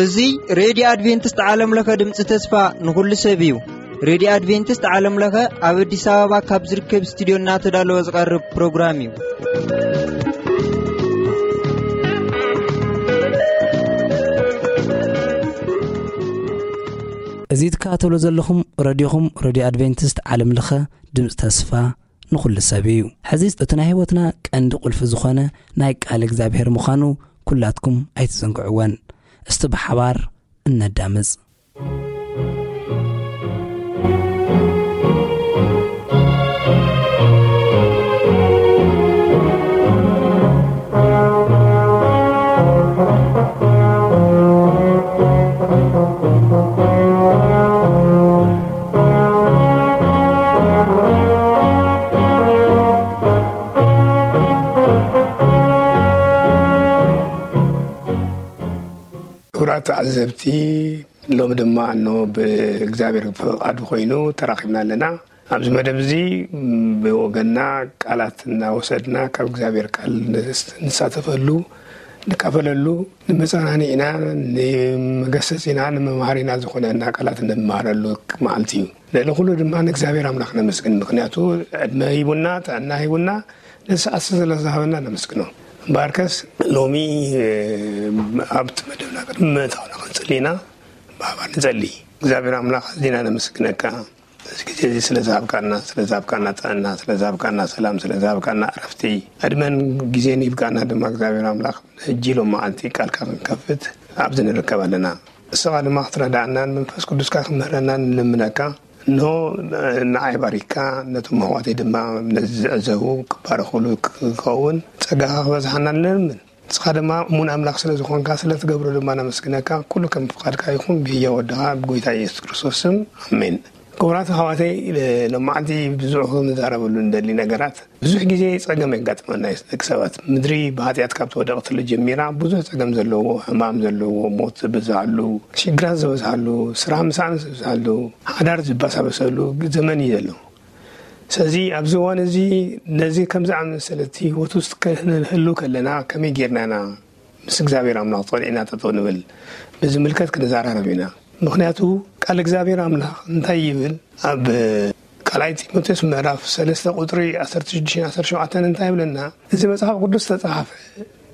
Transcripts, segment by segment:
እዚ ሬድዮ ኣድቬንቲስት ዓለም ለኸ ድምፂ ተስፋ ንኹሉ ሰብ እዩ። ሬድዮ ኣድቬንቲስት ዓለም ለኸ ኣብ ኣዲስ ኣበባ ካብ ዝርከብ ስቱዲዮ እናተዳለወ ዝቐርብ ፕሮግራም እዩ። እዚ ትከታተሉ ዘለኹም ረድዮኹም፣ ረድዮ ኣድቬንቲስት ዓለም ለኸ ድምፂ ተስፋ ንኹሉ ሰብ እዩ። ሕዚ እቲ ናይ ህይወትና ቀንዲ ቁልፊ ዝኾነ ናይ ቃል እግዚኣብሔር ምዃኑ ኩላትኩም ኣይትዘንግዕወን። እስቲ ብሓባር እነዳምፅ። ክቡራት ተዓዘብቲ፣ ሎሚ ድማ እኖ ብእግዚኣብሔር ፍቓዱ ኮይኑ ተራኺብና ኣለና። ኣብዚ መደብ እዚ ብወገንና ቃላት እናወሰድና ካብ እግዚኣብሔር ቃል ንሳተፈሉ፣ ንካፈለሉ፣ ንመጸናንዒና፣ ንመገሰጺና፣ ንመምሃሪና ዝኾነና ቃላት እንመሃረሉ መዓልቲ እዩ። ልዕሊ ኩሉ ድማ ንእግዚኣብሔር ኣምላኽ ነመስግን። ምኽንያቱ ዕድመ ሂቡና፣ ጥዕና ሂቡና፣ ነዚ ሰዓት ስለ ዝሃበና ነመስግኖ። እምበኣርከስ ሎሚ ኣብቲ መደብና ቅድሚ ምእታውና ክንጽሊ ኢና። ብሓባር ንጸሊ። እግዚኣብሔር ኣምላኽ ኣዚና ነመስግነካ። እዚ ግዜ እዚ ስለ ዝሃብካና፣ ስለ ዝሃብካና ጥዕና፣ ስለ ዝሃብካና ሰላም፣ ስለ ዝሃብካና ዕረፍቲ፣ ዕድመን ግዜን ሂብካና ድማ እግዚኣብሔር ኣምላኽ ሕጂ ሎም መዓልቲ ቃልካ ክንከፍት ኣብዚ ንርከብ ኣለና። ንስኻ ድማ ክትረዳእናን መንፈስ ቅዱስካ ክምህረናን ንልምነካ። እንሆ ንዓይ ባሪካ ነቶም ኣሕዋተይ ድማ ነዚ ዝዕዘቡ ክባረኹሉ ክኸውን ጸጋኻ ክበዝሓና ንልምን። ንስኻ ድማ እሙን ኣምላኽ ስለ ዝኾንካ ስለ ትገብሮ ድማ ነመስግነካ። ኩሉ ከም ፍቓድካ ይኹን ብህያው ወድኻ ብጎይታ ኢየሱስ ክርስቶስ ስም ኣሜን። ክቡራት ኣሕዋተይ፣ ሎማዓንቲ ብዙሕ ክንዛረበሉ እንደሊ ነገራት፣ ብዙሕ ግዜ ጸገም የጋጥመና እዩ። ደቂ ሰባት ምድሪ ብሓጢኣት ካብ ተወደቐትሉ ጀሚራ ብዙሕ ጸገም ዘለዎ፣ ሕማም ዘለዎ፣ ሞት ዝበዝሓሉ፣ ሽግራት ዝበዝሓሉ፣ ስራሕ ምስኣን ዝበዝሓሉ፣ ሓዳር ዝባሳበሰሉ ዘመን እዩ ዘሎ። ስለዚ ኣብዚ እዋን እዚ ነዚ ከም ዝኣመሰለ እቲ ህይወት ውስጥ ክንህሉ ከለና ከመይ ጌርና ኢና ምስ እግዚኣብሔር ኣምላኽ ጸኒዕና ጠጠው ንብል? ብዝምልከት ክንዘራረብ ኢና። ምኽንያቱ ቃል እግዚኣብሔር ኣምላኽ እንታይ ይብል? ኣብ ካልኣይ ጢሞቴዎስ ምዕራፍ ሰለስተ ቁጽሪ ዓሰርተ ሽዱሽተ ዓሰርተ ሸውዓተ እንታይ ይብለና? እዚ መጽሓፍ ቅዱስ ተጻሓፈ፣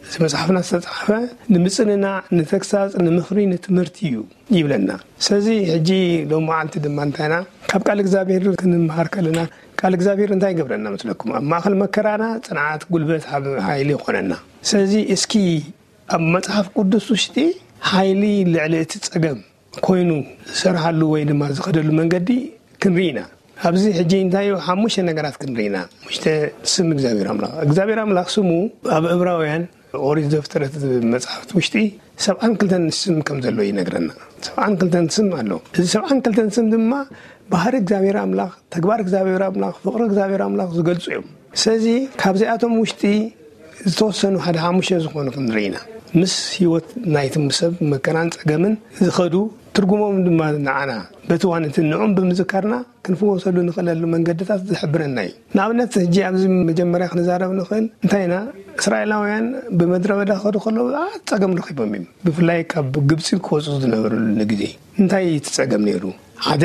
እዚ መጽሓፍና ዝተጻሓፈ ንምጽንናዕ፣ ንተግሳጽ፣ ንምኽሪ፣ ንትምህርቲ እዩ ይብለና። ስለዚ ሕጂ ሎም መዓልቲ ድማ እንታይና ካብ ቃል እግዚኣብሔር ክንምሃር ከለና ቃል እግዚኣብሔር እንታይ ይገብረና መስለኩም? ኣብ ማእኸል መከራና ጽንዓት፣ ጉልበት፣ ሃብ-፣ ሓይሊ ይኾነና። ስለዚ እስኪ ኣብ መጽሓፍ ቅዱስ ውሽጢ ሓይሊ ልዕሊ እቲ ጸገም ኮይኑ ዝሰርሓሉ ወይ ድማ ዝኸደሉ መንገዲ ክንርኢ ኢና። ኣብዚ ሕጂ እንታይ እዩ? ሓሙሽተ ነገራት ክንርኢ ኢና። ሓሙሽተ ስም እግዚኣብሔር ኣምላኽ። እግዚኣብሔር ኣምላኽ ስሙ ኣብ ዕብራውያን ኦሪት ዘፍጥረት መጽሓፍቲ ውሽጢ ሰብዓን ክልተን ስም ከም ዘሎ ይነግረና። ሰብዓን ክልተን ስም ኣሎ። እዚ ሰብዓን ክልተን ስም ድማ ባህሪ እግዚኣብሔር ኣምላኽ፣ ተግባር እግዚኣብሔር ኣምላኽ፣ ፍቕሪ እግዚኣብሔር ኣምላኽ ዝገልጹ እዮም። ስለዚ ካብዚኣቶም ውሽጢ ዝተወሰኑ ሓደ ሓሙሽተ ዝኾኑ ክንርኢ ኢና። ምስ ህይወት ናይቲ ሰብ መከራን ጸገምን ዝኸዱ ትርጉሞም ድማ ንዓና በቲ እዋን እቲ ንዕኦም ብምዝካርና ክንፍወሰሉ ንኽእለሉ መንገድታት ዝሕብረና እዩ። ንኣብነት ሕጂ ኣብዚ መጀመርያ ክንዛረብ ንኽእል እንታይ ኢና? እስራኤላውያን ብምድረ በዳ ክኸዱ ከለዉ ብዓት ጸገም ረኺቦም እዮም። ብፍላይ ካብ ግብጺ ክወጹ ዝነበሩሉ ግዜ እንታይ እዩ እቲ ጸገም ነይሩ? ሓደ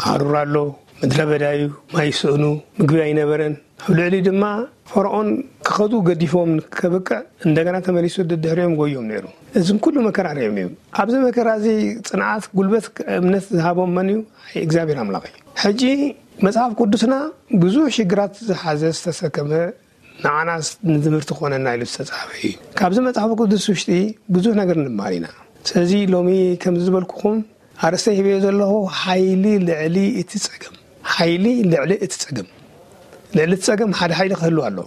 ሃሩር ኣሎ፣ ምድረ በዳ እዩ፣ ማይ ይስእኑ፣ ምግቢ ኣይነበረን። ኣብ ልዕሊ ድማ ፈርዖን ክኸዱ ገዲፎም ከብቅዕ እንደገና ተመሊሱ ደድሕሪኦም ጎዮም ነይሩ። እዝም ኩሉ መከራ ርዮም እዮም። ኣብዚ መከራ እዚ ጽንዓት፣ ጉልበት፣ እምነት ዝሃቦም መን እዩ? እግዚኣብሔር ኣምላኽ እዩ። ሕጂ መጽሓፍ ቅዱስና ብዙሕ ሽግራት ዝሓዘ ዝተሰከመ ንዓና ንትምህርቲ ክኾነና ኢሉ ዝተጻሕፈ እዩ። ካብዚ መጽሓፍ ቅዱስ ውሽጢ ብዙሕ ነገር ንምሃር ኢና። ስለዚ ሎሚ ከምዚ ዝበልኩኹም ኣርእስተ ሂበዮ ዘለኹ ሓይሊ ልዕሊ እቲ ጸገም። ሓይሊ ልዕሊ እቲ ጸገም። ልዕሊ እቲ ጸገም ሓደ ሓይሊ ክህሉ ኣሎ።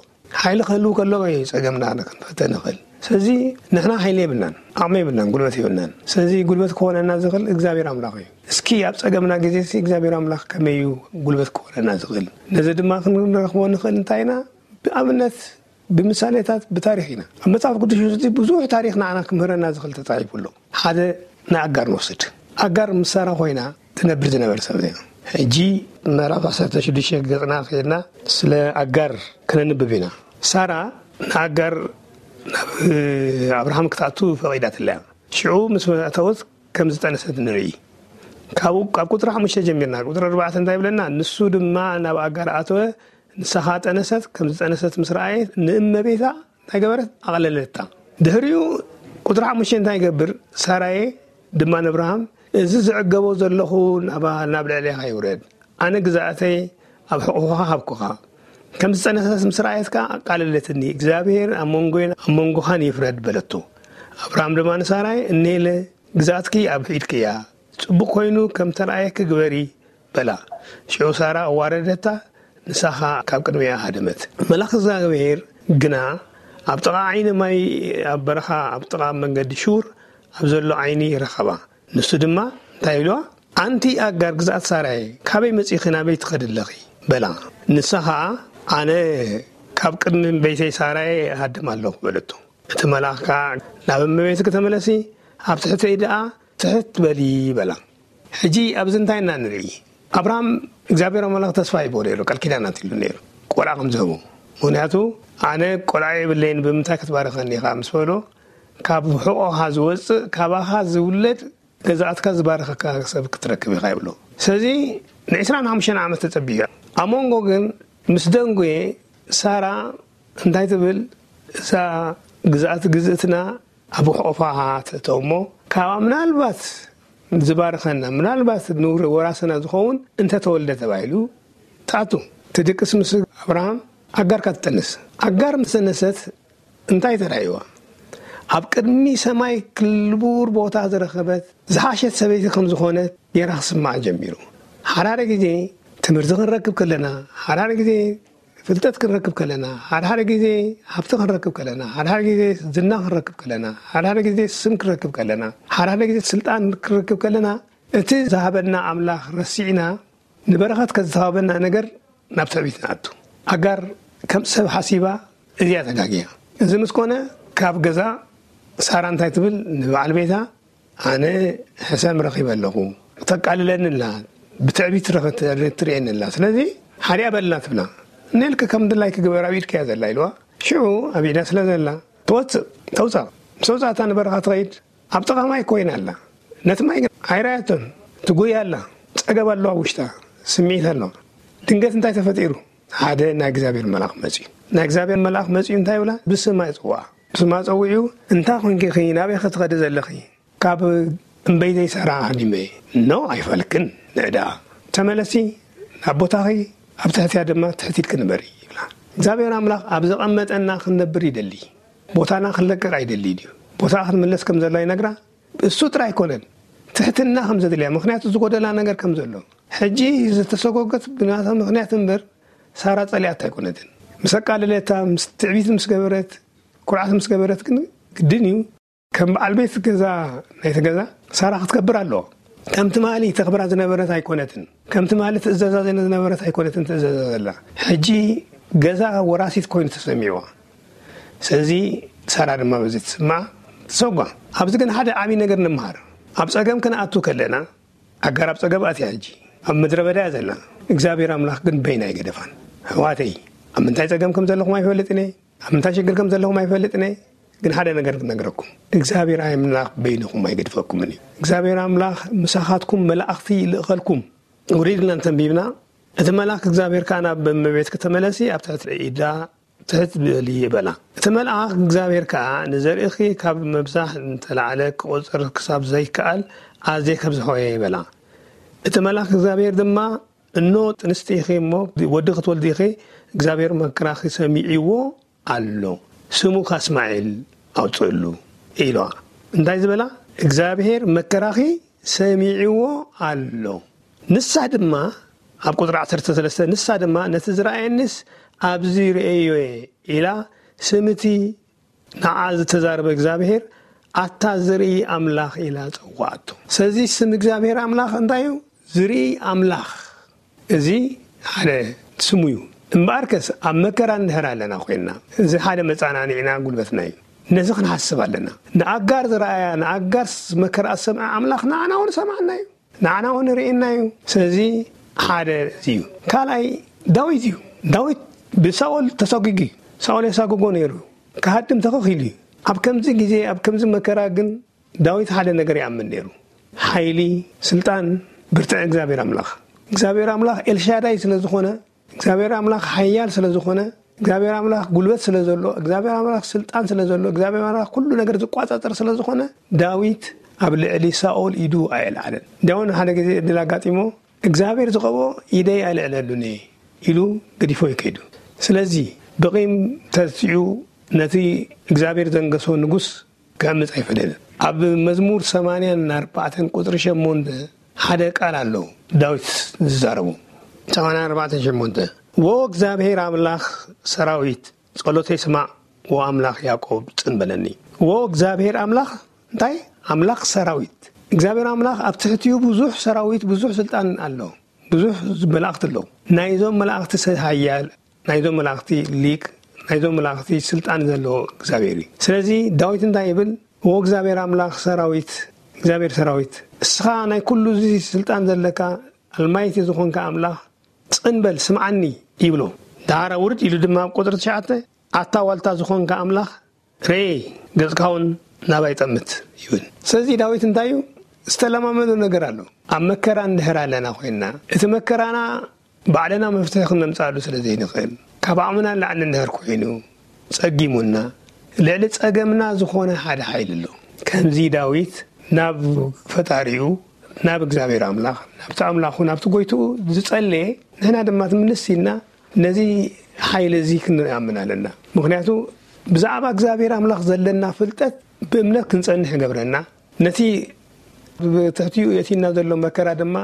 ሓይሊ ክህሉ ከሎ እዩ ጸገምና ክንፈተ ንኽእል። ስለዚ ንሕና ሓይሊ የብልናን፣ ዓቕሚ የብልናን፣ ጉልበት የብልናን። ስለዚ ጉልበት ክኾነና ዝኽእል እግዚኣብሔር ኣምላኽ እዩ። እስኪ ኣብ ጸገምና ግዜ ሲ እግዚኣብሔር ኣምላኽ ከመይ እዩ ጉልበት ክኾነና ዝኽእል? ነዚ ድማ ክንረኽቦ ንኽእል እንታይ ኢና? ብኣብነት ብምሳሌታት ብታሪኽ ኢና። ኣብ መጽሓፍ ቅዱስ ውሽጢ ብዙሕ ታሪኽ ንዓና ክምህረና ዝኽእል ተጻሒፉ ኣሎ። ሓደ ንኣጋር ንወስድ። ኣጋር ምስ ሳራ ኮይና ትነብር ዝነበረ ሰብ እያ። ሕጂ ምዕራፍ ዓሰርተ ሽዱሽተ ገጽና ከይድና ስለ ኣጋር ክነንብብ ኢና። ሳራ ንኣጋር ናብ ኣብርሃም ክትኣቱ ፈቒዳትለያ። ሽዑ ምስ ኣተወት ከም ዝጠነሰት ንርኢ። ካብኡ ካብ ቁጥሪ ሓሙሽተ ጀሚርና ቁጥሪ ኣርባዕተ እንታይ ይብለና? ንሱ ድማ ናብ ኣጋር ኣተወ፣ ንሳኻ ጠነሰት፣ ከም ዝጠነሰት ምስ ረኣየት ንእመቤታ እንታይ ገበረት? ኣቕለለታ። ድሕሪኡ ቁጥሪ ሓሙሽተ እንታይ ይገብር? ሳራየ ድማ ንኣብርሃም፣ እዚ ዝዕገቦ ዘለኹ ናብ ልዕሌኻ ይውረድ፣ ኣነ ግዛእተይ ኣብ ሕቑኻ ሃብኩኻ። ከም ዝጸነሰት ምስ ረኣየት ከኣ ኣቃለለትኒ፣ እግዚኣብሔር ኣብ መንጎይን ኣብ መንጎኻን ይፍረድ በለቶ። ኣብርሃም ድማ ንሳራይ፣ እኔለ ግዛእትኪ ኣብ ኢድኪ እያ፣ ጽቡቕ ኮይኑ ከም ተራእየኪ ግበሪ በላ። ሽዑ ሳራ ኣዋረደታ፣ ንሳ ኸኣ ካብ ቅድሚኣ ሃደመት። መልኣኽ እግዚኣብሔር ግና ኣብ ጥቓ ዓይኒ ማይ ኣብ በረኻ ኣብ ጥቓ መንገዲ ሹር ኣብ ዘሎ ዓይኒ ረኸባ። ንሱ ድማ እንታይ ኢልዋ? ኣንቲ ኣጋር ግዛእት ሳራየ፣ ካበይ መጺኺ ናበይ ትኸዲ ኣለኺ? በላ። ንሳ ኸኣ ኣነ ካብ ቅድሚ ቤተይ ሳራየ እሃድም ኣለኹ በለቶ። እቲ መልኣኽ ከኣ ናብ እመቤትኪ ተመለሲ፣ ኣብ ትሕተይ ደኣ ትሕት በሊ በላ። ሕጂ ኣብዚ እንታይ ኢና ንርኢ? ኣብርሃም እግዚኣብሔር ኣምላኽ ተስፋ ሂቦ ነይሩ፣ ቃል ኪዳን ኣትሉ ነይሩ፣ ቆልዓ ከም ዝህቡ። ምኽንያቱ ኣነ ቆልዓ የብለይን፣ ብምንታይ ክትባርኸኒ ኢኻ ምስ በሎ፣ ካብ ሕቖኻ ዝወፅእ ካባኻ ዝውለድ ገዛእትካ ዝባርኸካ ሰብ ክትረክብ ኢኻ ይብሎ። ስለዚ ንዕስራን ሓሙሽተን ዓመት ተጸቢዩ። ኣብ መንጎ ግን ምስ ደንጎየ ሳራ እንታይ ትብል? እዛ ግዛእቲ ግዝእትና ኣብ ሕቑፋ ትእቶ እሞ ካብኣ ምናልባት ዝባርኸና ምናልባት ንውር ወራስና ዝኸውን እንተተወልደ ተባሂሉ ትኣቱ። ትድቅስ ምስ ኣብርሃም ኣጋርካ ትጠንስ። ኣጋር ምስ ተነሰት እንታይ ተራእይዋ? ኣብ ቅድሚ ሰማይ ክልቡር ቦታ ዝረኸበት ዝሓሸት ሰበይቲ ከም ዝኾነት ጌራ ክስምዓ ጀሚሩ። ሓዳረ ግዜ ትምህርቲ ክንረክብ ከለና፣ ሓዳረ ግዜ ፍልጠት ክንረክብ ከለና፣ ሓዳረ ግዜ ሃብቲ ክንረክብ ከለና፣ ሓዳረ ግዜ ዝና ክንረክብ ከለና፣ ሓዳረ ግዜ ስም ክንረክብ ከለና፣ ሓዳረ ግዜ ስልጣን ክንረክብ ከለና፣ እቲ ዝሃበና ኣምላኽ ረሲዕና ንበረኸት ከዝተሃበና ነገር ናብ ትዕቢት ንኣቱ። ኣጋር ከም ሰብ ሓሲባ እዚኣ ተጋግያ። እዚ ምስ ኮነ ካብ ገዛ ሳራ እንታይ ትብል ንበዓል ቤታ፣ ኣነ ሕሰም ረኺበ ኣለኹ፣ ተቃልለኒ ኣላ፣ ብትዕቢት ረኸ-፣ ትርእየኒ ኣላ። ስለዚ ሓዲኣ በልና ትብላ። ነልክ ከም ድላይክ ግበር፣ ኣብ ኢድካ እያ ዘላ ኢልዋ። ሽዑ ኣብ ኢዳ ስለ ዘላ ትወፅእ፣ ተውፃእ። ምስ ኣውፃእታ ንበረኻ ትኸይድ። ኣብ ጥቓ ማይ ኮይና ኣላ። ነቲ ማይ ግን ኣይረኣየቶን። ትጉይ ኣላ። ጸገብ ኣለዋ ውሽጣ። ስምዒት ኣለዋ። ድንገት እንታይ ተፈጢሩ? ሓደ ናይ እግዚኣብሔር መልኣኽ መጺኡ። ናይ እግዚኣብሔር መልኣኽ መጺኡ እንታይ ይብላ? ብስማ ይጽውዓ። ብስማ ጸዊዑ፣ "እንታይ ኮንኪ ኢኺ? ናበይ ኸ ትኸዲ ዘለኺ?" "ካብ እምበይተይ ሳራ ሃዲመ እየ." "ኖ፣ ኣይፋልክን። ንዕዳ ተመለሲ፣ ናብ ቦታኺ፣ ኣብ ትሕትያ ድማ ትሕት ኢልኪ ንበሪ" ይብላ። እግዚኣብሔር ኣምላኽ ኣብ ዘቐመጠና ክንነብር ይደሊ። ቦታና ክንለቅቕ ኣይደሊ ድዩ? ቦታኣ ክትምለስ ከም ዘላ ይነግራ። እሱ ጥራይ ኣይኮነን፣ ትሕትና ከም ዘድልያ፣ ምኽንያቱ ዝጎደላ ነገር ከም ዘሎ። ሕጂ ዝተሰጎገት ብናታ ምኽንያት እምበር፣ ሳራ ጸሊኣታ ኣይኮነትን። ምስ ኣቃለለታ፣ ምስ ትዕቢት ምስ ገበረት፣ ኩርዓት ምስ ገበረት ግን ግድን እዩ። ከም በዓል ቤት ገዛ ናይቲ ገዛ ሳራ ክትከብር ኣለዎ። ከም ትማሊ ተኽብራ ዝነበረት ኣይኮነትን። ከም ትማሊ ትእዘዛ ዝነበረት ኣይኮነትን ትእዘዛ ዘላ። ሕጂ ገዛ ወራሲት ኮይኑ ተሰሚዕዋ። ስለዚ ሳራ ድማ በዚ ትስማዕ፣ ትሰጓ። ኣብዚ ግን ሓደ ዓብዪ ነገር ንምሃር። ኣብ ጸገም ክንኣቱ ከለና፣ ኣጋር ኣብ ጸገም ኣትያ ሕጂ። ኣብ ምድረ በዳ እያ ዘላ። እግዚኣብሔር ኣምላኽ ግን በይና ኣይገደፋን። ኣሕዋተይ፣ ኣብ ምንታይ ጸገም ከም ዘለኹም ኣይፈልጥን እየ። ኣብ ምንታይ ሽግር ከም ዘለኹም ኣይፈልጥን እየ። ግን ሓደ ነገር ክነግረኩም። እግዚኣብሔር ኣምላኽ በይንኹም ኣይገድፈኩምን እዩ። እግዚኣብሔር ኣምላኽ ምሳኻትኩም መላእኽቲ ይልእኸልኩም። ውሪድ ኢልና እንተንቢብና፣ እቲ መልኣክ እግዚኣብሔር ከኣ ናብ እመቤትኪ ተመለሲ፣ ኣብ ትሕቲ ኢዳ ትሕት በሊ በላ። እቲ መልኣክ እግዚኣብሔር ከኣ ንዘርእኺ ካብ ምብዛሕ እንተላዕለ ክቑጸር ክሳብ ዘይከኣል ኣዝየ ከብዝሖ እየ በላ። እቲ መልኣክ እግዚኣብሔር ድማ፣ እኖ ጥንስቲ ኢኺ እሞ ወዲ ክትወልዲ ኢኺ፣ እግዚኣብሔር መከራኺ ሰሚዕዎ ኣሎ፣ ስሙ ከኣ እስማኤል ኣውፅእሉ ኢልዋ። እንታይ ዝበላ? እግዚኣብሔር መከራኺ ሰሚዕዎ ኣሎ። ንሳ ድማ፣ ኣብ ቁፅሪ ዓሰርተ ሰለስተ፣ ንሳ ድማ ነቲ ዝረኣየንስ ኣብዚ ርእየዮ እየ ኢላ ስምቲ ንዓ ዝተዛረበ እግዚኣብሔር ኣታ ዝርኢ ኣምላኽ ኢላ ጸዋዓቶ። ስለዚ ስም እግዚኣብሔር ኣምላኽ እንታይ እዩ? ዝርኢ ኣምላኽ። እዚ ሓደ ስሙ እዩ። እምበኣርከስ ኣብ መከራ እንድሕር ኣለና ኮይንና፣ እዚ ሓደ መጻናንዒና ጉልበትና እዩ። ነዚ ክንሓስብ ኣለና። ንኣጋር ዝረኣያ፣ ንኣጋር መከራ ዝሰምዐ ኣምላኽ ንዓና እውን ሰምዓና እዩ። ንዓና እውን ርእየና እዩ። ስለዚ ሓደ እዚ እዩ። ካልኣይ ዳዊት እዩ። ዳዊት ብሳኦል ተሳጒጉ እዩ። ሳኦል የሳጉጎ ነይሩ። ክሃድም ተኸኺሉ እዩ። ኣብ ከምዚ ግዜ፣ ኣብ ከምዚ መከራ ግን ዳዊት ሓደ ነገር ይኣምን ነይሩ። ሓይሊ፣ ስልጣን፣ ብርትዐ እግዚኣብሔር ኣምላኽ። እግዚኣብሔር ኣምላኽ ኤልሻዳይ ስለ ዝኾነ፣ እግዚኣብሔር ኣምላኽ ሓያል ስለ ዝኾነ፣ እግዚኣብሔር ኣምላኽ ጉልበት ስለ ዘሎ፣ እግዚኣብሔር ኣምላኽ ስልጣን ስለ ዘሎ፣ እግዚኣብሔር ኣምላኽ ኩሉ ነገር ዝቋጻጸር ስለ ዝኾነ፣ ዳዊት ኣብ ልዕሊ ሳኦል ኢዱ ኣየልዓለን። እንዲያውን ሓደ ግዜ ዕድል ኣጋጢሞ፣ እግዚኣብሔር ዝቐቦ ኢደይ ኣልዕለሉን እየ ኢሉ ገዲፎ ይከይዱ። ስለዚ ብቂም ተሲዑ ነቲ እግዚኣብሔር ዘንገሶ ንጉስ ክዕምጽ ኣይፈደልን። ኣብ መዝሙር ሰማንያን ኣርባዕተን ቁጽሪ ሸሞንተ ሓደ ቃል ኣሎ ዳዊት ዝዛረቦ። ሰማንያን ኣርባዕተን ሸሞንተ፣ "ወ እግዚኣብሔር ኣምላኽ ሰራዊት ጸሎተይ ስማዕ፣ ወ ኣምላኽ ያዕቆብ ጽን በለኒ።" ወ እግዚኣብሔር ኣምላኽ እንታይ? ኣምላኽ ሰራዊት። እግዚኣብሔር ኣምላኽ ኣብ ትሕቲኡ ብዙሕ ሰራዊት፣ ብዙሕ ስልጣን ኣሎ። ብዙሕ መላእኽቲ ኣለዉ። ናይዞም መላእኽቲ ሰብ ሓያል፣ ናይዞም መላእኽቲ ሊቅ፣ ናይዞም መላእኽቲ ስልጣን ዘለዎ እግዚኣብሔር እዩ። ስለዚ ዳዊት እንታይ ይብል? "ወ እግዚኣብሔር ኣምላኽ ሰራዊት፣ እግዚኣብሔር ሰራዊት፣ እስኻ ናይ ኩሉ እዚ ስልጣን ዘለካ ኣልማይቲ ዝኾንካ ኣምላኽ፣ ጽን በል ስምዓኒ" ይብሎ። ደሓር ውርድ ኢሉ ድማ ኣብ ቁጽሪ ትሽዓተ፣ "ኣታ ዋልታ ዝኾንካ ኣምላኽ፣ ርኤ፣ ገጽካ እውን ናባይ ጠምት" ይብል። ስለዚ ዳዊት እንታይ እዩ ዝተለማመዶ ነገር ኣሎ። ኣብ መከራ እንድሕር ኣለና ኮይንና፣ እቲ መከራና ባዕልና መፍትሒ ክነምጽኣሉ ስለ ዘይንኽእል፣ ካብ ዓቕምና ንላዕሊ እንድሕር ኮይኑ፣ ጸጊሙና፣ ልዕሊ ጸገምና ዝኾነ ሓደ ሓይሊ ኣሎ። ከምዚ ዳዊት ናብ ፈጣሪኡ፣ ናብ እግዚኣብሔር ኣምላኽ፣ ናብቲ ኣምላኹ፣ ናብቲ ጎይትኡ ዝጸለየ፣ ንሕና ድማ ትምልስ ኢልና ነዚ ሓይሊ እዚ ክንኣምን ኣለና። ምኽንያቱ ብዛዕባ እግዚኣብሔር ኣምላኽ ዘለና ፍልጠት ብእምነት ክንጸንሕ ይገብረና። ነቲ ብትሕቲኡ የቲና ዘሎ መከራ ድማ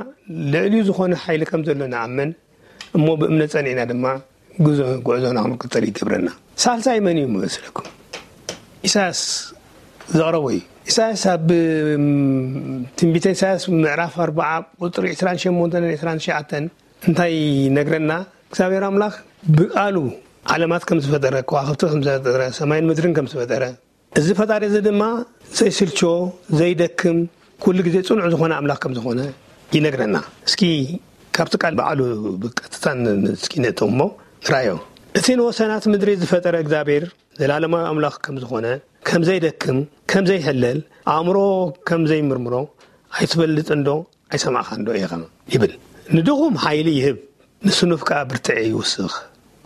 ልዕሊኡ ዝኾነ ሓይሊ ከም ዘሎ ንኣምን። እሞ ብእምነት ጸኒዕና ድማ ጉዞ-፣ ጉዕዞና ክንቅጽል ይገብረና። ሳልሳይ መን እዩ መስለኩም? ኢሳያስ ዘቕረቦ እዩ። ኢሳያስ ኣብ፣ እም፣ ትንቢተ ኢሳያስ ምዕራፍ ኣርባዓ ቁጽሪ ዕስራን ሸሞንተን ዕስራን ትሽዓተን እንታይ ይነግረና? እግዚኣብሔር ኣምላኽ ብቃሉ ዓለማት ከም ዝፈጠረ፣ ከዋኽብቲ ከም ዝፈጠረ፣ ሰማይን ምድርን ከም ዝፈጠረ፣ እዚ ፈጣሪ እዚ ድማ ዘይስልቾ፣ ዘይደክም፣ ኩሉ ግዜ ጽኑዕ ዝኾነ ኣምላኽ ከም ዝኾነ ይነግረና። እስኪ ካብቲ ቃል ባዕሉ ብቀጥታ ን-፣ ን-፣ እስኪ ነእትው እሞ ንራዮ። "እቲ ንወሰናት ምድሪ ዝፈጠረ እግዚኣብሔር ዘላለማዊ ኣምላኽ ከም ዝኾነ፣ ከም ዘይደክም፣ ከም ዘይሕለል፣ ኣእምሮ ከም ዘይምርምሮ ኣይትፈልጥን ዶ? ኣይሰማዕኻን ዶ ኢኻ?" ይብል። "ንድኹም ሓይሊ ይህብ፣ ንስኑፍ ከኣ ብርትዒ ይውስኽ።"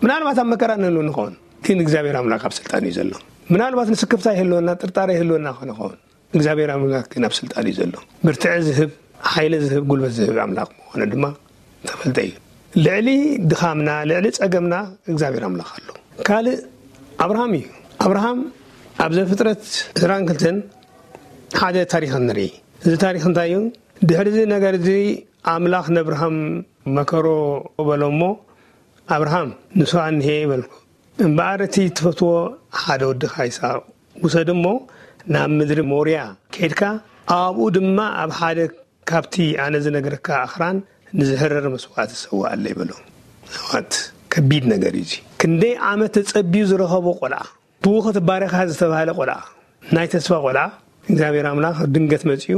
ምናልባት ኣብ መከራ ንህሉ ንኸውን፣ ግን እግዚኣብሔር ኣምላኽ ኣብ ስልጣን እዩ ዘሎ። ምናልባት ንስክፍታ ይህልወና፣ ጥርጣረ ይህልወና ንኸውን፣ እግዚኣብሔር ኣምላኽ ግን ኣብ ስልጣን እዩ ዘሎ። ብርትዒ ዝህብ፣ ሓይሊ ዝህብ፣ ጉልበት ዝህብ ኣምላኽ ምዃኑ ድማ ተፈልጠ እዩ። ልዕሊ ድኻምና፣ ልዕሊ ጸገምና እግዚኣብሔር ኣምላኽ ኣሎ። ካልእ ኣብርሃም እዩ። ኣብርሃም ኣብ ዘፍጥረት ዕስራን ክልተን ሓደ ታሪኽ ንርኢ። እዚ ታሪኽ እንታይ እዩ? ድሕሪ እዚ ነገር እዚ ኣምላኽ ነብርሃም መከሮ በሎ እሞ፣ "ኣብርሃም፣ ንሱ ኣንሄ" በልኩ። "እምበኣር እቲ ትፈትዎ ሓደ ወድኻ ይስሐቅ ውሰድ እሞ ናብ ምድሪ ሞርያ ከይድካ፣ ኣብኡ ድማ ኣብ ሓደ ካብቲ ኣነ ዝነግረካ ኣኽራን ንዝሕረር መስዋእቲ ሰውኣለይ" በሎ። ኣሕዋት፣ ከቢድ ነገር እዩ እዚ። ክንደይ ዓመት ተጸቢዩ ዝረኸቦ ቆልዓ፣ ብኡ ክትባረኻ ዝተባህለ ቆልዓ፣ ናይ ተስፋ ቆልዓ፣ እግዚኣብሔር ኣምላኽ ድንገት መጺኡ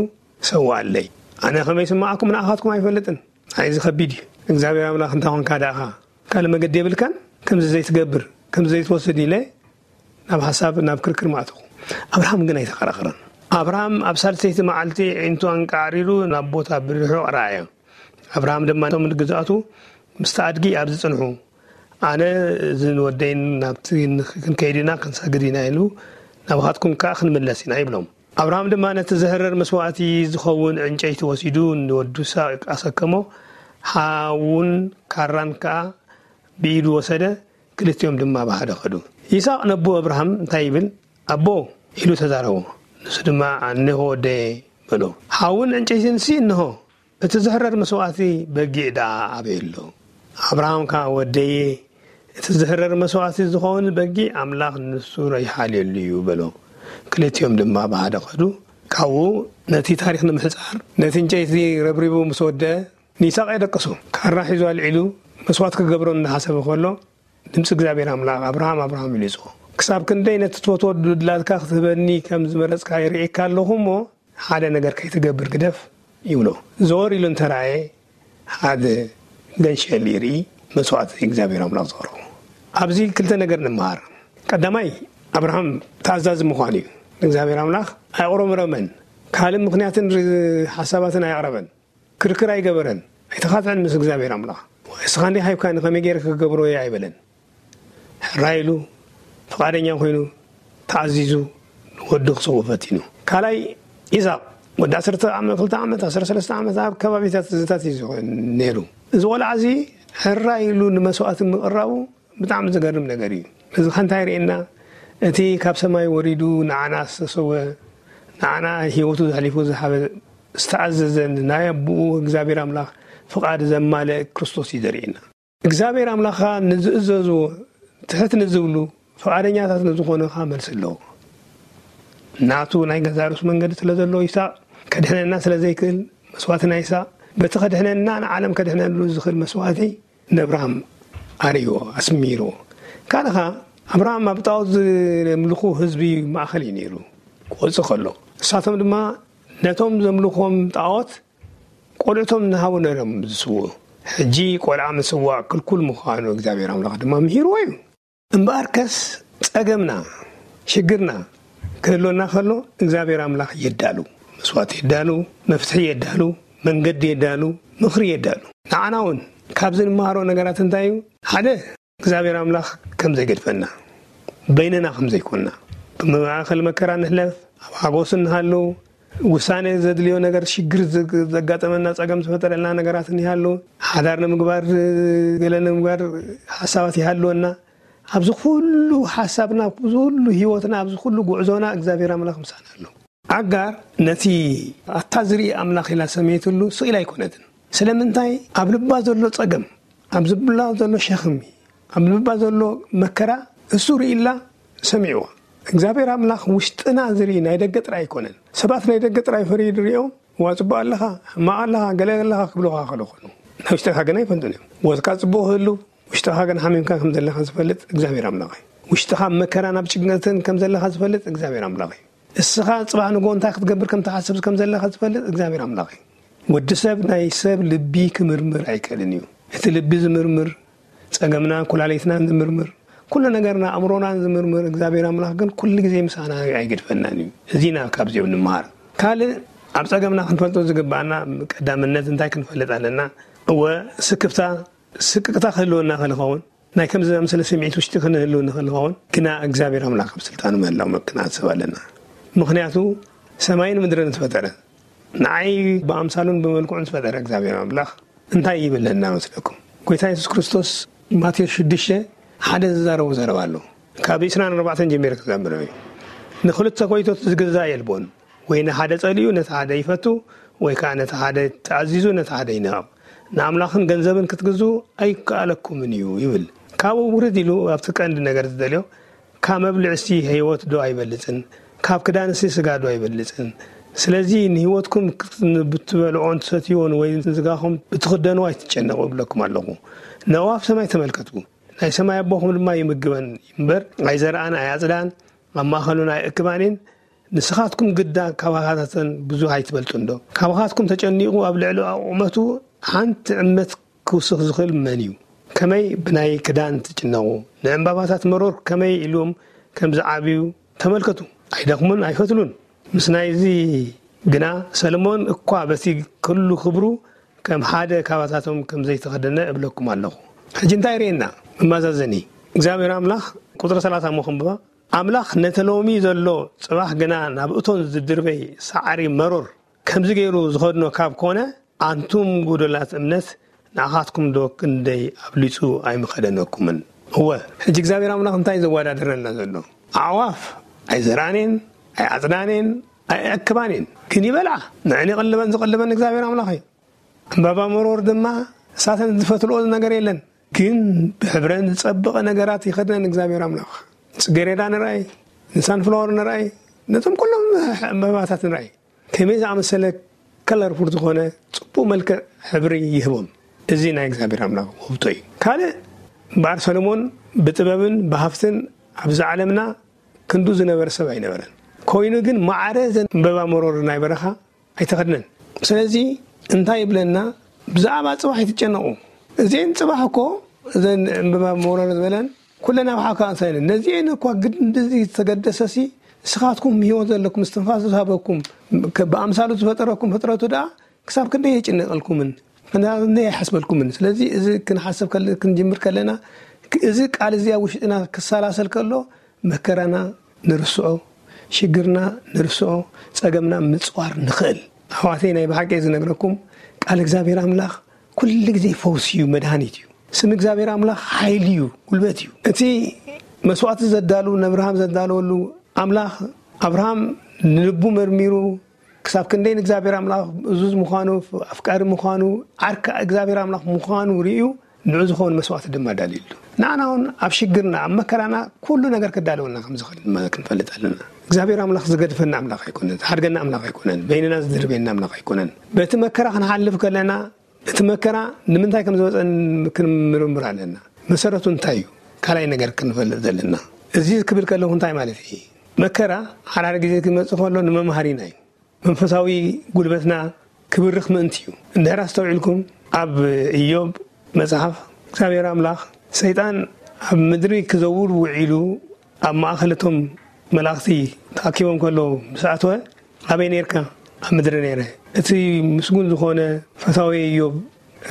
"ሰውኣለይ፣ ኣነ ከመይ ስምዓኩም ንኣኻትኩም ኣይፈልጥን። ኣይ፣ እዚ ከቢድ እዩ። እግዚኣብሔር ኣምላኽ እንታይ ኾንካ ደኣኻ? ካልእ መገዲ የብልካን? ከምዚ ዘይትገብር፣ ከምዚ ዘይትወስድ" ኢለ ናብ ሓሳብ፣ ናብ ክርክር ምኣተኹ። ኣብርሃም ግን ኣይተኸራኸረን። ኣብርሃም ኣብ ሳልሰይቲ መዓልቲ ኣዒንቱ ኣንቃዕሪሩ ናብ ቦታ ብርሑቕ ረኣዮ። ኣብርሃም ድማ ነቶም ግዛቱ፣ "ምስቲ ኣድጊ ኣብዚ ጽንሑ፣ ኣነ እዚ ንወደይን ናብቲ ክንከይድ ኢና፣ ክንሰግድ ኢና" ኢሉ፣ "ናባኻትኩም ከኣ ክንምለስ ኢና" ይብሎም። ኣብርሃም ድማ ነቲ ዝሕረር መስዋእቲ ዝኸውን ዕንጨይቲ ወሲዱ ንወዱ ይስሐቅ ኣሰከሞ። ሓውን ካራን ከኣ ብኢዱ ወሰደ። ክልቲኦም ድማ ብሓደ ከዱ። ይስሐቅ ነቦ ኣብርሃም እንታይ ይብል? "ኣቦ" ኢሉ ተዛረቦ። ንሱ ድማ "ኣንሆ ወደየ" በሎ። "ሓውን ዕንጨይትንሲ እንሆ፣ እቲ ዝሕረር መስዋእቲ በጊዕ ደኣ ኣበይ ኣሎ?" ኣብርሃም ከኣ "ወደየ፣ እቲ ዝሕረር መስዋእቲ ዝኸውን በጊዕ ኣምላኽ ንሱ ይሓልየሉ እዩ" በሎ። ክልቲኦም ድማ ብሓደ ከዱ። ካብኡ ነቲ ታሪኽ ንምሕጻር ነቲ ዕንጨይቲ ረብሪቡ ምስ ወደአ ንይስሐቅ የደቀሶ። ካራ ሒዙ ኣልዒሉ መስዋእቲ ክገብሮ እናሓሰበ ከሎ ድምጺ እግዚኣብሔር ኣምላኽ "ኣብርሃም፣ ኣብርሃም" ኢሉ ይጽውዖ። "ክሳብ ክንደይ ነቲ ትፈትዎ ድላትካ ክትህበኒ ከም ዝመረጽካ ይርእየካ ኣለኹ እሞ ሓደ ነገር ከይትገብር ግደፍ" ይብሎ። ዘወር ኢሉ እንተረኣየ ሓደ ገንሸል ይርኢ፣ መስዋእቲ እግዚኣብሔር ኣምላኽ ዘቕረቦ። ኣብዚ ክልተ ነገር ንምሃር። ቀዳማይ፣ ኣብርሃም ተኣዛዚ ምዃኑ እዩ። እግዚኣብሔር ኣምላኽ ኣየቕረመረመን። ካልእ ምኽንያትን ር-፣ ሓሳባትን ኣየቕረበን። ክርክር ኣይገበረን። ኣይተኻትዐን ምስ እግዚኣብሔር ኣምላኽ። "እስኻ እንዲኻ ሂብካኒ፣ ከመይ ገይረ ክገብሮ እየ?" ኣይበለን። ሕራይ ኢሉ፣ ፍቓደኛ ኮይኑ፣ ተኣዚዙ፣ ወዲ ክስውእ ፈቲኑ። ካልኣይ፣ ኢሳቕ ወዲ ዓሰርተ ዓመት፣ ክልተ ዓመት፣ ዓሰርተ ሰለስተ ዓመት ኣብ ከባቢታት እዚታት እዩ ዝኸውን ነይሩ። እዚ ቆልዓ እዚ ሕራይ ኢሉ ንመስዋእቲ ምቕራቡ ብጣዕሚ ዘገርም ነገር እዩ። እዚ ከ እንታይ የርእየና? እቲ ካብ ሰማይ ወሪዱ ንዓና ዝተሰወ፣ ንዓና ህይወቱ ዘሕሊፉ ዝሃበ፣ ዝተኣዘዘን ናይ ኣቦኡ እግዚኣብሔር ኣምላኽ ፍቓድ ዘማልአ ክርስቶስ እዩ ዘርእየና። እግዚኣብሔር ኣምላኽ ከኣ ንዝእዘዝዎ፣ ትሕት ንዝብሉ፣ ፍቓደኛታት ንዝኾኑ ከኣ መልሲ ኣለዎ። ናቱ ናይ ገዛእ ርእሱ መንገዲ ስለ ዘለዎ፣ ይስሐቅ ከድሕነና ስለ ዘይክእል፣ መስዋእቲ ናይ ይስሐቅ፣ በቲ ከድሕነና ንዓለም ከድሕነሉ ዝኽእል መስዋእቲ ንኣብርሃም ኣርእይዎ፣ ኣስሚርዎ። ካልእ ከኣ ኣብርሃም ኣብ ጣዖት ዘምልኹ ህዝቢ ማእከል እዩ ነይሩ ክወጽእ ከሎ። ንሳቶም ድማ ነቶም ዘምልኾም ጣዖት ቆልዑቶም እናሃቡ ነይሮም ዝስውኡ። ሕጂ ቆልዓ ምስዋእ ክልኩል ምዃኑ እግዚኣብሔር ኣምላኽ ድማ ምሂርዎ እዩ። እምበኣርከስ ጸገምና፣ ሽግርና ክህልወና ከሎ እግዚኣብሔር ኣምላኽ የዳሉ። መስዋእቲ የዳሉ፣ መፍትሒ የዳሉ፣ መንገዲ የዳሉ፣ ምኽሪ የዳሉ። ንዓና እውን ካብዚ ንመሃሮ ነገራት እንታይ እዩ? ሓደ፣ እግዚኣብሔር ኣምላኽ ከም ዘይገድፈና፣ በይንና ከም ዘይኮንና፣ ብማእከል መከራ ንሕለፍ፣ ኣብ ሓጎስ እንሃሉ፣ ውሳኔ ዘድልዮ ነገር፣ ሽግር ዘ-፣ ዘጋጠመና፣ ጸገም ዝፈጠረልና ነገራት እንሃሉ፣ ሓዳር ንምግባር፣ ገለ ንምግባር ሓሳባት ይሃልወና። ኣብዚ ኩሉ ሓሳብና፣ ኣብዚ ኩሉ ህይወትና፣ ኣብዚ ኩሉ ጉዕዞና እግዚኣብሔር ኣምላኽ ምሳና ኣሎ። ኣጋር ነቲ ኣታ ዝርኢ ኣምላኽ ኢላ ሰመየትሉ ስቕ ኢላ ኣይኮነትን። ስለምንታይ? ኣብ ልባ ዘሎ ጸገም፣ ኣብ ልባ ዘሎ ሸኽሚ፣ ኣብ ልባ ዘሎ መከራ እሱ ርኢላ ሰሚዕዋ። እግዚኣብሔር ኣምላኽ ውሽጥና ዝርኢ ናይ ደገ ጥራይ ኣይኮነን። ሰባት ናይ ደገ ጥራይ ፈርዩ ዝርእዮም፣ "ዋ፣ ጽቡቕ ኣለኻ፣ ሕማቕ ኣለኻ፣ ገለ ኣለኻ" ክብሉኻ ከለኾኑ፣ ናይ ውሽጥኻ ግን ኣይፈልጡን እዮም። ወትካ ጽቡቕ ክህሉ፣ ውሽጥኻ ግን ሓሚምካ ከም ዘለኻ ዝፈልጥ እግዚኣብሔር ኣምላኽ እዩ። ውሽጥኻ ኣብ መከራን ኣብ ጭንቀትን ከም ዘለኻ ዝፈልጥ እግዚኣብሔር ኣምላኽ እዩ። እስኻ ጽባሕ ንግሆ እንታይ ክትገብር ከም ትሓስብ ከም ዘለኻ ዝፈልጥ እግዚኣብሔር ኣምላኽ እዩ። ወዲ ሰብ ናይ ሰብ ልቢ ክምርምር ኣይክእልን እዩ። እቲ ልቢ ዝምርምር፣ ጸገምናን ኩላሊትናን ዝምርምር፣ ኩሉ ነገርና ኣእምሮናን ዝምርምር እግዚኣብሔር ኣምላኽ ግን ኩሉ ግዜ ምሳና ኣይገድፈናን እዩ። እዚና ካብዚኦም ንምሃር። ካልእ ኣብ ጸገምና ክንፈልጦ ዝግብኣና ቀዳምነት እንታይ ክንፈልጥ ኣለና? እወ፣ ስክፍታ፣ ስቅቅታ ክህልወና ከልኸውን፣ ናይ ከምዚ ዝኣመሰለ ስምዒት ውሽጢ ክንህሉ ንኽእል ንኸውን፣ ግና እግዚኣብሔር ኣምላኽ ኣብ ስልጣኑ ምህላው ክንሓስብ ኣለና። ምኽንያቱ ሰማይን ምድርን ዝፈጠረ፣ ንዓይ ብኣምሳሉን ብመልክዑን ዝፈጠረ እግዚኣብሔር ኣምላኽ እንታይ ይብለና መስለኩም? ጎይታ የሱስ ክርስቶስ ማቴዎስ ሽዱሽተ ሓደ ዝዛረቦ ዘረባ ኣሎ። ካብ ዕስራን ኣርባዕተን ጀሚረ ክዛምር እዩ። "ንኽልተ ጎይቶት ዝግዛእ የልቦን፣ ወይ ንሓደ ጸሊኡ ነቲ ሓደ ይፈቱ፣ ወይ ከኣ ነቲ ሓደ ተኣዚዙ ነቲ ሓደ ይንዕቕ። ንኣምላኽን ገንዘብን ክትግዝኡ ኣይከኣለኩምን እዩ" ይብል። ካብኡ ውርድ ኢሉ ኣብቲ ቀንዲ ነገር ዝደልዮ፣ "ካብ መብልዕሲ ህይወት ዶ ኣይበልጽን? ካብ ክዳንሲ ስጋ ዶ ኣይበልጽን? ስለዚ ንህይወትኩም ብትበልዖን ትሰትይዎን ወይ ንስጋኹም ብትኽደንዎ ኣይትጨነቑ እብለኩም ኣለኹ። ነእዋፍ ሰማይ ተመልከቱ፣ ናይ ሰማይ ኣቦኹም ድማ ይምግበን እምበር ኣይዘርኣን ኣይኣጽዳን፣ ኣብ ማእከሉን ኣይእክባን እየን። ንስኻትኩም ግዳ ካባኻታተን ብዙሕ ኣይትበልጹን ዶ? ካባኻትኩም ተጨኒቑ ኣብ ልዕሊ ኣቑመቱ ሓንቲ ዕመት ክውስኽ ዝኽእል መን እዩ? ከመይ ብናይ ክዳን ትጭነቑ? ንዕምባባታት መሮር ከመይ ኢሎም ከም ዝዓብዩ ተመልከቱ። ኣይደኽሙን ኣይፈትሉን። ምስ ናይዚ ግና ሰለሞን እኳ በቲ ኩሉ ክብሩ ከም ሓደ ካባታቶም ከም ዘይተኸደነ እብለኩም ኣለኹ። ሕጂ እንታይ ርእየና? መማዛዘኒ እግዚኣብሔር ኣምላኽ ቁጽሪ ሰላሳ እሞ ክንብባ። ኣምላኽ ነቲ ሎሚ ዘሎ ጽባሕ ግና ናብ እቶን ዝድርበይ ሳዕሪ መሮር ከምዚ ገይሩ ዝኸድኖ ካብ ኮነ፣ ኣንቱም ጎደላት እምነት፣ ንኣኻትኩም ዶ ክንደይ ኣብሊጹ ኣይምኸደነኩምን? እወ፣ ሕጂ እግዚኣብሔር ኣምላኽ እንታይ ዘወዳድረና ዘሎ? ኣዕዋፍ ኣይዘርኣኔን፣ ኣይኣጽዳኔን፣ ኣይኣክባኔን፣ ግን ይበልዓ። ንዕን ይቕልበን ዝቕልበን እግዚኣብሔር ኣምላኽ እዩ። ዕምባባ መሮር ድማ እሳተን ዝፈትልኦ ነገር የለን። ግን ብሕብረን ዝጸበቐ ነገራት ይኸድነን እግዚኣብሔር ኣምላኽ። ጽጌሬዳ ንርኣይ፣ ንሳንፍላወር ንርኣይ፣ ነቶም ኩሎም ዕምባባታት ንርኣይ። ከመይ ዝኣመሰለ ከለርፉል ዝኾነ ጽቡቕ መልክዕ ሕብሪ ይህቦም። እዚ ናይ እግዚኣብሔር ኣምላኽ ውህብቶ እዩ። ካልእ እምበኣር ሰሎሞን ብጥበብን ብሃፍትን ኣብዚ ዓለምና ክንዱ ዝነበረ ሰብ ኣይነበረን። ኮይኑ ግን ማዕረ ዘን ዕምባባ መሮር ናይ በረኻ ኣይተኸድነን። ስለዚ እንታይ ይብለና? ብዛዕባ ጽባሕ ኣይትጨነቑ። እዚአን ጽባሕ እኮ እዘን ዕምበባ መውረዶ ዝበለን ኩለን ኣብ ሓካ ኣንሳይነ ነዚአን እኳ ግድ እንደዚ ዝተገደሰሲ ንስኻትኩም ህይወት ዘለኩም እስትንፋስ ዝሃበኩም ከ- ብኣምሳሉ ዝፈጠረኩም ፍጥረቱ ደኣ ክሳብ ክንደይ የጭንቀልኩምን ክንደይ ይሓስበልኩምን። ስለዚ እዚ ክንሓስብ ከለ- ክንጅምር ከለና ክ- እዚ ቃል እዚ ኣብ ውሽጥና ክሰላሰል ከሎ መከራና ንርስዖ፣ ሽግርና ንርስዖ፣ ጸገምና ምጽዋር ንኽእል። ኣሕዋተይ ናይ ብሓቂ ዝነግረኩም ቃል እግዚኣብሔር ኣምላኽ ኩሉ ግዜ ፈውሲ እዩ፣ መድሃኒት እዩ። ስም እግዚኣብሔር ኣምላኽ ሓይሊ እዩ፣ ጉልበት እዩ። እቲ መስዋዕቲ ዘዳሉ ንኣብርሃም ዘዳለወሉ ኣምላኽ ኣብርሃም ንልቡ መርሚሩ ክሳብ ክንደይ ንእግዚኣብሔር ኣምላኽ እዙዝ ምዃኑ ኣፍቃሪ ምዃኑ ዓርካ እግዚኣብሔር ኣምላኽ ምዃኑ ርእዩ ንዑ ዝኾን መስዋዕቲ ድማ ዳልዩሉ። ንዓና እውን ኣብ ሽግርና ኣብ መከራና ኩሉ ነገር ክዳለወና ከም ዝኽእል ድማ ክንፈልጥ ኣለና። እግዚኣብሔር ኣምላኽ ዝገድፈና ኣምላኽ ኣይኮነን፣ ዝሓድገና ኣምላኽ ኣይኮነን፣ በይንና ዝድርበየና ኣምላኽ ኣይኮነን። በቲ መከራ ክንሓልፍ ከለና እቲ መከራ ንምንታይ ከም ዝመፀን ክንምርምር ኣለና። መሰረቱ እንታይ እዩ? ካልኣይ ነገር ክንፈልጥ ዘለና እዚ ክብል ከለኹ እንታይ ማለት እዩ? መከራ ሓራሪ ግዜ ክመፅእ ከሎ ንመምሃሪና እዩ። መንፈሳዊ ጉልበትና ክብርኽ ምእንቲ እዩ። እንድሕር ኣስተውዒልኩም ኣብ ኢዮብ መጽሓፍ እግዚኣብሔር ኣምላኽ ሰይጣን ኣብ ምድሪ ክዘውር ውዒሉ ኣብ ማእኸል እቶም መላእኽቲ ተኣኪቦም ከለዉ ምስ ኣተወ ኣበይ ነርካ? ኣብ ምድሪ ነይረ። እቲ ምስጉን ዝኾነ ፈታዊ ኢዮብ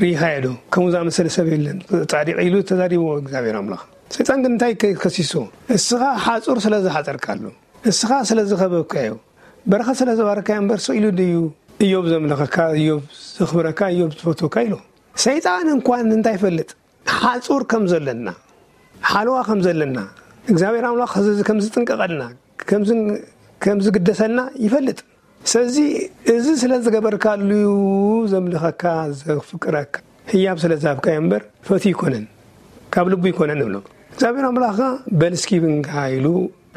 ርኢኻዮ ዶ? ከምኡ ዝኣመሰለ ሰብ የለን ጻድቕ ኢሉ ተዛሪብዎ እግዚኣብሔር ኣምላኽ። ሰይጣን ግን እንታይ ከሲሶ? እስኻ ሓጹር ስለ ዝሓጸርካሉ፣ እስኻ ስለ ዝኸበብካዮ፣ በረኸት ስለ ዝባረካዮ እምበር ስቕ ኢሉ ድዩ ኢዮብ ዘምለኸካ፣ ኢዮብ ዘኽብረካ፣ ኢዮብ ዝፈትወካ ኢሉ። ሰይጣን እንኳን እንታይ ይፈልጥ? ሓጹር ከም ዘለና፣ ሓለዋ ከም ዘለና፣ እግዚኣብሔር ኣምላኽ ከም ዝጥንቀቐልና፣ ከም ዝግደሰልና ይፈልጥ። ስለዚ እዚ ስለ ዝገበርካሉ እዩ ዘምልኸካ፣ ዘፍቅረካ። ህያብ ስለ ዝሃብካዮ እምበር ፈትዩ ይኮነን፣ ካብ ልቡ ይኮነን ንብሎ። እግዚኣብሔር ኣምላኽካ በል እስኪ ብንካ ኢሉ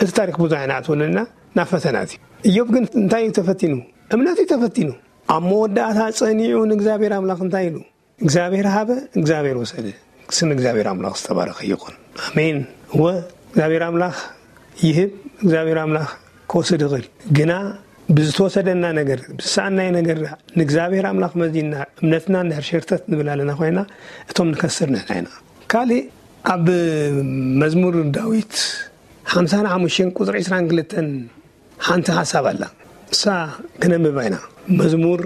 እቲ ታሪክ ብዙሕ ኣይንኣትወሉና ናብ ፈተናት እዩ። እዮብ ግን እንታይ እዩ ተፈቲኑ? እምነት እዩ ተፈቲኑ። ኣብ መወዳእታ ጸኒዑ ንእግዚኣብሔር ኣምላኽ እንታይ ኢሉ? እግዚኣብሔር ሃበ፣ እግዚኣብሔር ወሰደ። ስም እግዚኣብሔር ኣምላኽ ዝተባረኸ ይኹን። ኣሜን። እወ እግዚኣብሔር ኣምላኽ ይህብ፣ እግዚኣብሔር ኣምላኽ ክወስድ ይኽእል። ግና ብዝተወሰደና ነገር፣ ብዝሰኣናዮ ነገር ንእግዚኣብሔር ኣምላኽ መዚንና እምነትና እንድሕር ሸርተት ንብል ኣለና ኮይና፣ እቶም ንከስር ንሕና ኢና። ካልእ ኣብ መዝሙር ዳዊት ሓምሳን ሓሙሽተን ቁጽሪ ዕስራን ክልተን ሓንቲ ሓሳብ ኣላ። እሳ ክነንብባ ኢና። መዝሙር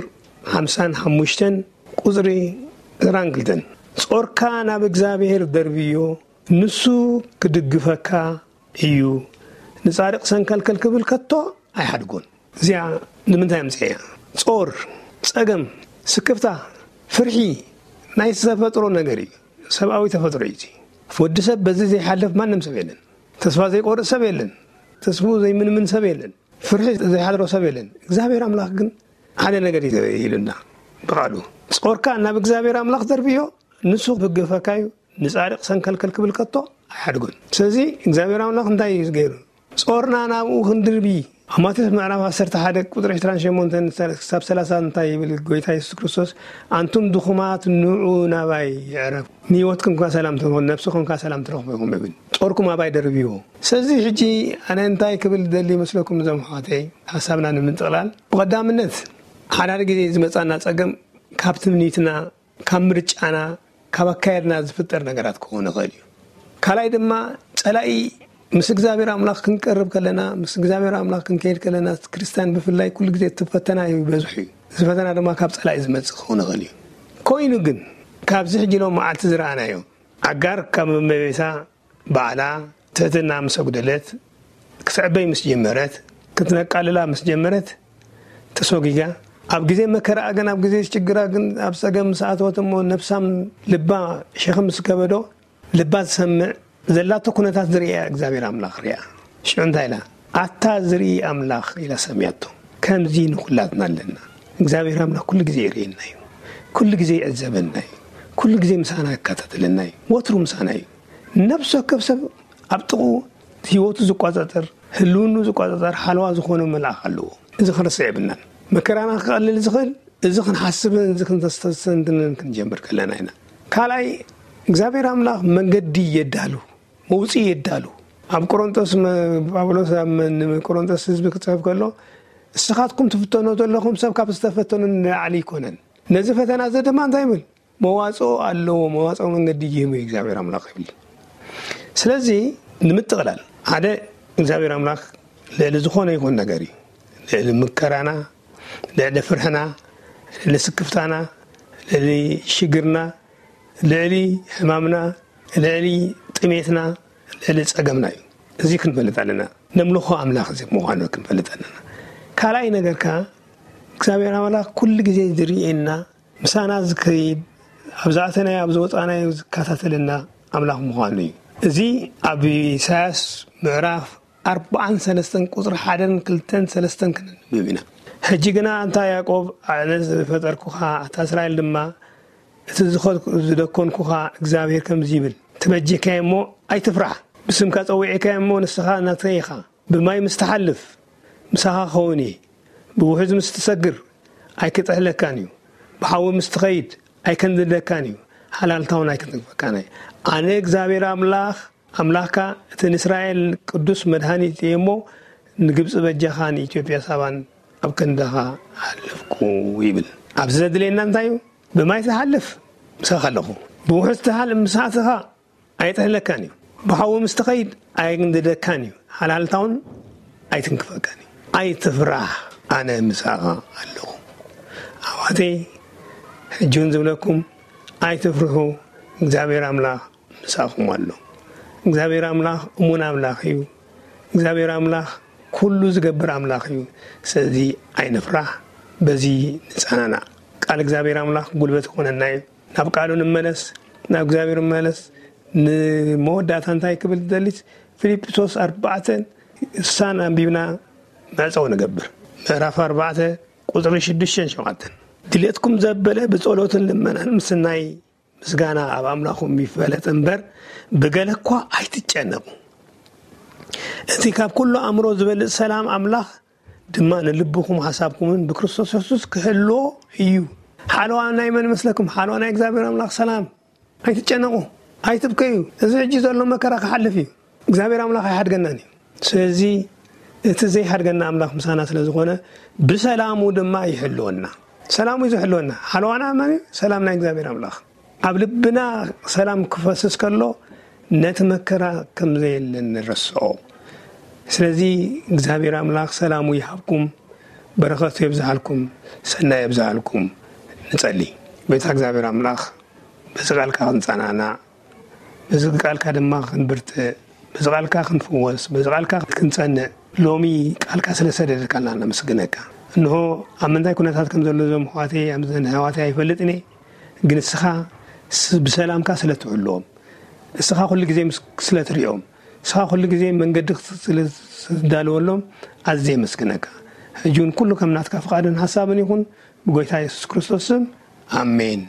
ሓምሳን ሓሙሽተን ቁጽሪ ዕስራን ክልተን፣ ጾርካ ናብ እግዚኣብሔር ደርብዮ፣ ንሱ ክድግፈካ እዩ፣ ንጻድቕ ሰንከልከል ክብል ከቶ ኣይሓድጎን። እዚኣ ንምንታይ ኣምጽኤያ? ጾር፣ ጸገም፣ ስክፍታ፣ ፍርሒ ናይ ተፈጥሮ ነገር እዩ። ሰብኣዊ ተፈጥሮ እዩ። ወዲ ሰብ በዚ ዘይሓልፍ ማንም ሰብ የለን። ተስፋ ዘይቆርጥ ሰብ የለን። ተስፉ ዘይምንምን ሰብ የለን። ፍርሒ ዘይሓድሮ ሰብ የለን። እግዚኣብሔር ኣምላኽ ግን ሓደ ነገር እዩ ኢሉና ብቃሉ። ጾርካ ናብ እግዚኣብሔር ኣምላኽ ደርብዮ፣ ንሱ ክግፈካ እዩ፣ ንጻድቕ ሰንከልከል ክብል ከቶ ኣይሓድጎን። ስለዚ እግዚኣብሔር ኣምላኽ እንታይ እዩ ገይሩ? ጾርና ናብኡ ክንድርቢ። ኣብ ማቴዎስ ምዕራፍ ዓሰርተ ሓደ ቁጽሪ ዕስራን ሸሞንተን ክሳብ ሰላሳ እንታይ ይብል ጎይታ የሱስ ክርስቶስ? ኣንቱም ድኹማት ንዑ ናባይ ይዕረፉ፣ ንህይወትኩም ከ ሰላም ትረኽቡ፣ ነብስኹም ከ ሰላም ትረኽቡ ኢኹም ይብል። ጾርኩም ኣባይ ደርብይዎ። ስለዚ ሕጂ ኣነ እንታይ ክብል ደሊ ይመስለኩም እዞም ኣሕዋተይ? ሓሳብና ንምጥቕላል ብቐዳምነት ሓዳር ግዜ ዝመጻና ጸገም ካብ ትምኒትና ካብ ምርጫና ካብ ኣካየድና ዝፍጠር ነገራት ክኸውን ይኽእል እዩ። ካልኣይ ድማ ጸላኢ ምስ እግዚኣብሔር ኣምላኽ ክንቀርብ ከለና ምስ እግዚኣብሔር ኣምላኽ ክንከይድ ከለና ክርስትያን ብፍላይ ኩሉ ግዜ እቲ ፈተና ይበዝሑ እዩ። እዚ ፈተና ድማ ካብ ጸላኢ ዝመጽእ ክኸውን ይኽእል እዩ። ኮይኑ ግን ካብዚ ሕጂ ሎም መዓልቲ ዝረኣናዮ ኣጋር ካብ እመቤታ ባዕላ ትሕትና ምስ ኣጉደለት ክትዕበይ ምስ ጀመረት ክትነቃልላ ምስ ጀመረት ተሰጒጋ ኣብ ግዜ መከራኣ ግን ኣብ ግዜ ሽግራ ግን ኣብ ጸገም ምስ ኣተወት እሞ ነብሳም ልባ ሸኽም ምስ ከበዶ ልባ ዝሰምዕ ዘላቶ ኩነታት ዝርእያ እግዚኣብሔር ኣምላኽ ርእያ። ሽዑ እንታይ ኢላ? ኣታ ዝርኢ ኣምላኽ ኢላ ሰምያቶ። ከምዚ ንኹላትና ኣለና። እግዚኣብሔር ኣምላኽ ኩሉ ግዜ ይርእየና እዩ። ኩሉ ግዜ ይዕዘበና እዩ። ኩሉ ግዜ ምሳና ይከታተለና እዩ። ወትሩ ምሳና እዩ። ነብሲ ወከፍ ሰብ ኣብ ጥቕኡ ህይወቱ ዝቋጻጸር ህልውኑ ዝቋጻጸር ሓለዋ ዝኾነ መልኣኽ ኣለዎ። እዚ ክንርስዕ የብልናን። መከራና ክቐልል ዝኽእል እዚ ክንሓስብን እዚ ክንተስተንትንን ክንጀምር ከለና ኢና። ካልኣይ እግዚኣብሔር ኣምላኽ መንገዲ የዳሉ፣ መውፅኢ የዳሉ። ኣብ ቆሮንጦስ ጳውሎስ ኣብ ቆሮንጦስ ህዝቢ ክፅሕፍ ከሎ እስኻትኩም ትፍተኖ ዘለኹም ሰብ ካብ ዝተፈተኑ ንላዕሊ ኣይኮነን። ነዚ ፈተና እዚ ድማ እንታይ ይብል? መዋፅኦ ኣለዎ፣ መዋፅኦ መንገዲ ይህቡ እግዚኣብሔር ኣምላኽ ይብል። ስለዚ ንምጥቕላል ሓደ እግዚኣብሔር ኣምላኽ ልዕሊ ዝኾነ ይኹን ነገር እዩ። ልዕሊ ምከራና፣ ልዕሊ ፍርሕና፣ ልዕሊ ስክፍታና፣ ልዕሊ ሽግርና፣ ልዕሊ ሕማምና፣ ልዕሊ ጥሜትና፣ ልዕሊ ጸገምና እዩ። እዚ ክንፈልጥ ኣለና። ነምልኾ ኣምላኽ እዚ ምዃኑ ክንፈልጥ ኣለና። ካልኣይ ነገር ከኣ እግዚኣብሔር ኣምላኽ ኩሉ ግዜ ዝርእየና፣ ምሳና ዝከይድ፣ ኣብ ዝኣተናዮ ኣብ ዝወጻናዮ ዝከታተለና ኣምላኽ ምዃኑ እዩ። እዚ ኣብ ኢሳያስ ምዕራፍ ኣርባዓን ሰለስተን ቁጽሪ ሓደን ክልተን ሰለስተን ክንንብብ ኢና። ሕጂ ግና ኣንታ ያዕቆብ ኣነ ዝፈጠርኩኻ ኣታ እስራኤል ድማ እቲ ዝኸድኩ ዝደኮንኩኻ እግዚኣብሔር ከምዚ ይብል፣ ትበጀካዮ እሞ ኣይትፍራሕ፣ ብስምካ ጸዊዕካዮ እሞ ንስኻ ናተይ ኢኻ። ብማይ ምስ ትሓልፍ ምሳኻ ክኸውን እየ። ብውሑዝ ምስ ትሰግር ኣይክጥሕለካን እዩ። ብሓዊ ምስ ትኸይድ ኣይከንድደካን እዩ። ሓላልታ እውን ኣይክትንክፈካን እየ። ኣነ እግዚኣብሔር ኣምላኽ ኣምላኽካ እቲ ንእስራኤል ቅዱስ መድሃኒት እየ እሞ ንግብፂ በጃኻ ንኢትዮጵያ ሳባን ኣብ ክንዳኻ ኣለፍኩ ይብል። ኣብዚ ዘድልየና እንታይ እዩ? ብማይ ትሓልፍ ምሳኻ ኣለኹ። ብውሑዝ ትሓልፍ ምሳትኻ ኣይጥሕለካን እዩ። ብሓዊ ምስ ትኸይድ ኣይግንድደካን እዩ። ሓላልታውን ኣይትንክፈካን እዩ። ኣይትፍራሕ፣ ኣነ ምሳኻ ኣለኹ። ኣሕዋተይ፣ ሕጂ እውን ዝብለኩም ኣይትፍርሑ፣ እግዚኣብሔር ኣምላኽ ምሳኹም ኣሎ። እግዚኣብሔር ኣምላኽ እሙን ኣምላኽ እዩ። እግዚኣብሔር ኣምላኽ ኩሉ ዝገብር ኣምላኽ እዩ። ስለዚ ኣይንፍራሕ፣ በዚ ንጸናናዕ። ቃል እግዚኣብሔር ኣምላኽ ጉልበት ይኾነና እዩ። ናብ ቃሉ ንመለስ፣ ናብ እግዚኣብሔር ንመለስ። ንመወዳእታ እንታይ ክብል ዝደሊስ? ፊልጵሶስ ኣርባዕተን እሳን ኣንቢብና መዕጸዊ ንገብር። ምዕራፍ ኣርባዕተ ቁጽሪ ሽዱሽተን ሸውዓተን። ድሌትኩም ዘበለ ብጸሎትን ልመናን ምስናይ ምስጋና ኣብ ኣምላኹም ይፈለጥ እምበር ብገለ እኳ ኣይትጨነቁ። እቲ ካብ ኩሉ ኣእምሮ ዝበልጽ ሰላም ኣምላኽ ድማ ንልብኹም ሓሳብኩምን ብክርስቶስ የሱስ ክህልዎ እዩ። ሓለዋ ናይ መን መስለኩም? ሓለዋ ናይ እግዚኣብሔር ኣምላኽ ሰላም። ኣይትጨነቁ፣ ኣይትብከዩ። እዚ ሕጂ ዘሎ መከራ ክሓልፍ እዩ። እግዚኣብሔር ኣምላኽ ኣይሓድገናን እዩ። ስለዚ እቲ ዘይሓድገና ኣምላኽ ምሳና ስለ ዝኾነ ብሰላሙ ድማ ይሕልወና። ሰላሙ እዩ ዝሕልወና። ሓለዋና መን እዩ? ሰላም ናይ እግዚኣብሔር ኣምላኽ። ኣብ ልብና ሰላም ክፈስስ ከሎ ነቲ መከራ ከም ዘየለ ንረስዖ። ስለዚ እግዚኣብሔር ኣምላኽ ሰላሙ ይሃብኩም፣ በረኸቱ የብዝሃልኩም፣ ሰናይ የብዝሃልኩም። ንጸሊ። ቤታ እግዚኣብሔር ኣምላኽ በዚ ቃልካ ክንጸናናዕ፣ በዚ ቃልካ ድማ ክንብርትዕ፣ በዚ ቃልካ ክንፍወስ፣ በዚ ቃልካ ክንጸንዕ ሎሚ ቃልካ ስለ ሰደድካልና ነመስግነካ። እንሆ ኣብ ምንታይ ኩነታት ከም ዘሎ እዞም ኣሕዋተይ ኣምዘን ኣሕዋተይ ኣይፈልጥን እየ፣ ግን እስኻ ስ- ብሰላምካ ስለ ትሕልዎም፣ እስኻ ኩሉ ግዜ ምስ- ስለ ትሪኦም፣ እስኻ ኩሉ ግዜ መንገዲ ክት- ስለ ትዳልወሎም ኣዝየ የመስግነካ። ሕጂ እውን ኩሉ ከም ናትካ ፍቓድን ሓሳብን ይኹን ብጎይታ የሱስ ክርስቶስ ስም ኣሜን።